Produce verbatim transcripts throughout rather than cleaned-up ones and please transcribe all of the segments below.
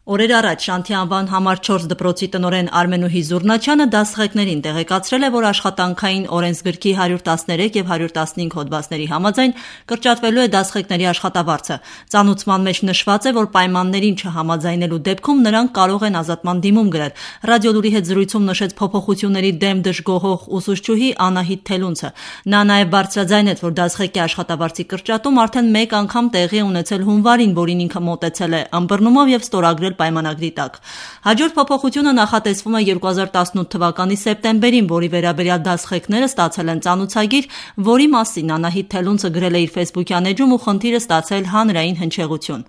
Օրեր առաջ Շանթի անվան համար չորս դպրոցի տնօրեն Արմենուհի Զուռնաչյանը դասղեկներին տեղեկացրել է, որ աշխատանքային օրենսգրքի հարյուր տասներեք եւ հարյուր տասնհինգ հոդվածների համաձայն կրճատվելու է դասղեկների աշխատավարձը։ Ծանուցման մեջ նշված է, որ պայմաններին չհամաձայնելու դեպքում նրանք կարող են ազատման դիմում գրել։ Ռադիոլուրի հետ զրույցում նշեց փոփոխությունների դեմ դժգոհող ուսուցչուհի Անահիտ Թելունցը։ Նա նաեւ բարձրաձայնեց, որ դասղեկի աշխատավարձի կրճատում արդեն մեկ անգամ տեղի ունեցել հունվարին, որին ինքը մոտեցել է ըմբռնումով եւ ստորագրել պայմանագրի տակ։ Հաջորդ փոփոխությունը նախատեսվում է երկու հազար տասնութ թվականի սեպտեմբերին, որի վերաբերյալ դասղեկները ստացել են ծանուցագիր, որի մասին Անահիտ Թելունցը գրել է իր ֆեյսբուքյան էջում ու խնդիրը ստացել հանրային հնչեղություն։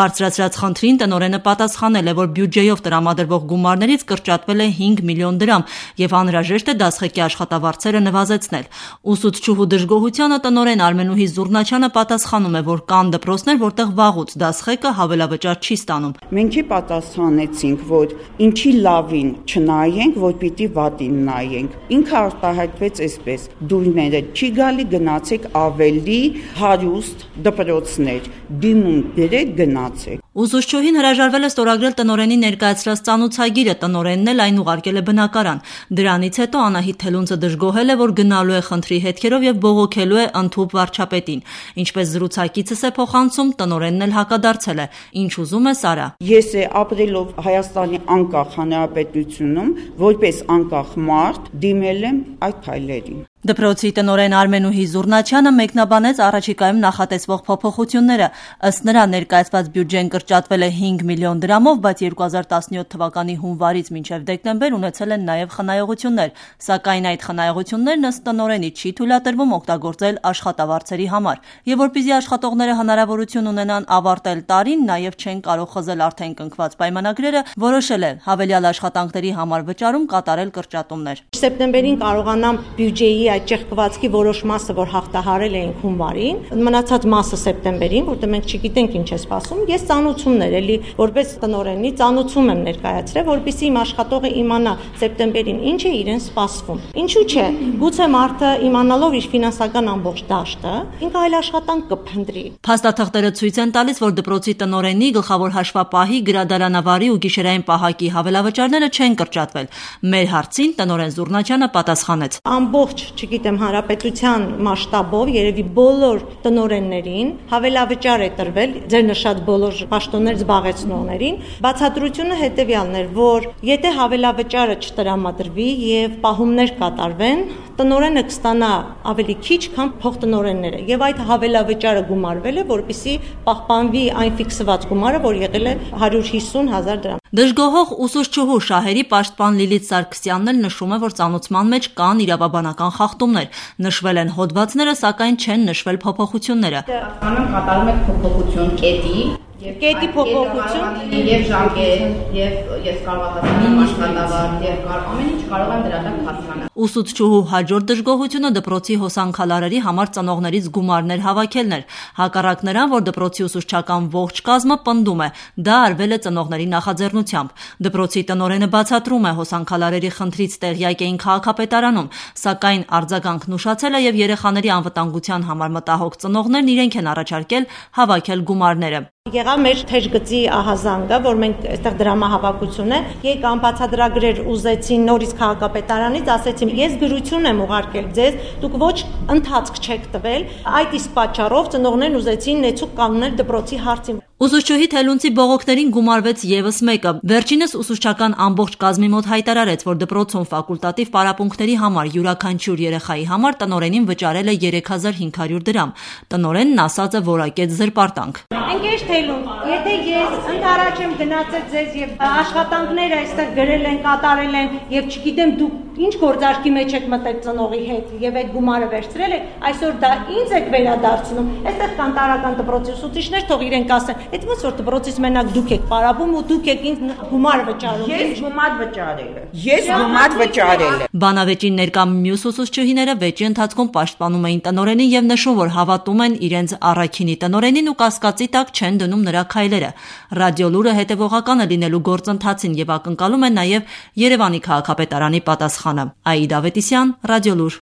Բարձրացրած խնդրին տնօրենը պատասխանել է, որ բյուջեով տրամադրվող գումարներից կրճատվել է հինգ միլիոն դրամ եւ անհրաժեշտ է դասղեկի աշխատավարձերը նվազեցնել։ Ուսուցչուհու դժգոհությանը տնօրեն Արմենուհի Զուռնաչյանը պատասխանում է, որ կան դպրոցներ, որտեղ վաղուց դասղեկը հավելավճար չի ստանում։ Մենք պատասխանեցինք, որ ինչի լավին չնայենք, որ պիտի վատին նայենք։ Ինքը արտահայտվեց այսպես. դուրները չի գալի, գնացեք ավելի հարուստ դպրոցներ, դիմում դրեք, գնացեք։ Ուսուցչուհին հրաժարվել է ստորագրել տնօրենի ներկայացրած ծանուցագիրը, տնօրենն էլ այն ուղարկել է բնակարան։ Դրանից հետո Անահիտ Թելունցը դժգոհել է, որ գնալու է խնդրի հետքերով եւ բողոքելու է ընդհուպ վարչապետին։ Ինչպես զրուցակիցս է փոխանցում, տնօրենն էլ հակադարձել է։ Ինչ ուզում է Սարա։ Ես է ապրելով Հայաստանի անկախ հանրապետությունում, որպես անկախ մարդ դիմել եմ այդ քայլերին։ Դպրոցի տնօրեն Արմենուհի Զուռնաչյանը մեկնաբանեց առաջիկայում նախատեսվող փոփոխությունները։ Ըստ նրա ներկայացված բյուջեն կրճատվել է հինգ միլիոն դրամով, բայց երկու հազար տասնյոթ թվականի հունվարից մինչև դեկտեմբեր ունեցել են նաև խնայողություններ, սակայն այդ խնայողություններն ըստ տնօրենի չի թույլատրվում օգտագործել աշխատավարձերի համար, եւ որպեսզի աշխատողները հնարավորություն ունենան ավարտել տարին, նաև չեն կարող խզել արդեն կնքված պայմանագրերը, որոշել է հավելյալ աշխատանքների համար վճարում կատարել կրճատումներ։ Սեպտեմբերին կարողանամ բյուջեի այդ ճեղքվածքի որոշ մասը, որ հաղթահարել էինք հունվարին, մնացած մասը սեպտեմբերին, որտեղ մենք չգիտենք ինչ է սպասում, ես ծանուցումներ էլի որպես տնօրենի ծանուցում եմ ներկայացրել, որպեսզի իմ աշխատողը իմանա սեպտեմբերին ինչ է իրեն սպասվում։ Ինչու՞ չէ, գուցե մարդը իմանալով իր ֆինանսական ամբողջ դաշտը, ինքը այլ աշխատանք կփնտրի։ Փաստաթղթերը ցույց են տալիս, որ դպրոցի տնօրենի գլխավոր հաշվապահի, գրադարանավարի ու գիշերային պահակի հավելավճարները չեն կրճատվել։ Մեր հարցին տնօրեն Զուռնաչյանը պատասխանեց. Ամբողջ, չգիտեմ, հանրապետության մասշտաբով երևի բոլոր տնօրեններին հավելավճար է տրվել, ձեր նշած բոլոր պաշտոններ զբաղեցնողներին։ Բացատրությունը հետևյալն էր, որ եթե հավելավճարը չտրամադրվի եւ պահումներ կատարվեն, տնօրենը կստանա ավելի քիչ, քան փոխտնօրենները, եւ այդ հավելավճարը գումարվել է, որպեսզի պահպանվի այն ֆիքսված գումարը, որ եղել է հարյուր հիսուն հազար դրամ։ Դժգոհող ուսուցչուհու Շահերի պաշտպան Լիլիթ Սարգսյանն էլ նշում է, որ ծանուցման մեջ կան իրավաբանական խախտումներ։ Նշվել են հոդվածները, սակայն չեն նշվել փոփոխությունները։ Կանոն կատարում է փոփոխություն կետի Կետի փոփոխություն եւ ժամկետ եւ ես կարող եմ հասկանալ աշխատավարձ եւ ամեն ինչ կարող եմ դրա տակ հասկանալ։ Ուսուցչուհու հաջորդ դժգոհությունը դպրոցի հոսանքալարերի համար ծնողներից գումարներ հավաքելն էր։ Հակառակ նրան, որ դպրոցի ուսուցչական ողջ կազմը պնդում է, դա արվել է ծնողների նախաձեռնությամբ։ Դպրոցի տնօրենը բացատրում է, հոսանքալարերի խնդրից տեղյակ էին քաղաքապետարանում, սակայն արձագանքն ուշացել է եւ երեխաների անվտանգության համար մտահոգ ծնողներն իրենք են առաջարկել հավաքել գումարները։ Եղավ մեր թեժգծի ահազանգը, որ մենք այստեղ դրամահավաքություն է, եկ անբացատրագրեր ուզեցին նորից քաղաքապետարանից, ասեցին, ես գրություն եմ ուղարկել ձեզ, դուք ոչ ընթացք չեք տվել, այդ իսկ պատճառով ծնողներն ուզեցին նեցուկ կանոնել դպրոցի հարցին։ Ուսուցչուհի Թելունցի բողոքներին գումարվեց եւս մեկը։ Վերջինս ուսուցչական ամբողջ կազմի մոտ հայտարարեց, որ դպրոցում ֆակուլտատիվ պարապմունքների համար յուրաքանչյուր երեխայի համար տնօրենին վճարել է երեք հազար հինգ հարյուր դրամ։ Տնօրենն ասած է որակեց զրպարտանք։ Ընկեր Թելուն, եթե ես ընդառաջ եմ գնացել ձեզ եւ աշխատանքները այստեղ գրել են, կատարել են եւ չգիտեմ դուք ինչ գործարքի մեջ եք մտել ծնողի հետ եւ այդ գումարը վերցրել եք, այսօր դա ինձ եք վերադարձնում։ Այստեղ կան տարական դպրոցի ուսուցիչներ, թող իրենք ասեն, այդ ոնց որ դպրոցից մենակ դուք եք պարապում ու դուք եք ինձ գումար վճարում։ Ես գումար վճարել եմ։ Ես գումար վճարել եմ։ Բանավեճին ներկա մյուս ուսուցչուհիները վեճի ընթացքում պաշտպանում էին տնօրենին եւ նշում, որ հավատում են իրենց առաքինի տնօրենին ու կասկածի տակ չեն դնում նրա քայլերը։ Ռադիոլուրը հետևողական է լինելու գործընթացին եւ ակնկալում է նաեւ Երևանի քաղաքապետարանի պատասխանը։ Աիդա Ավետիսյան, Ռադիոլուր։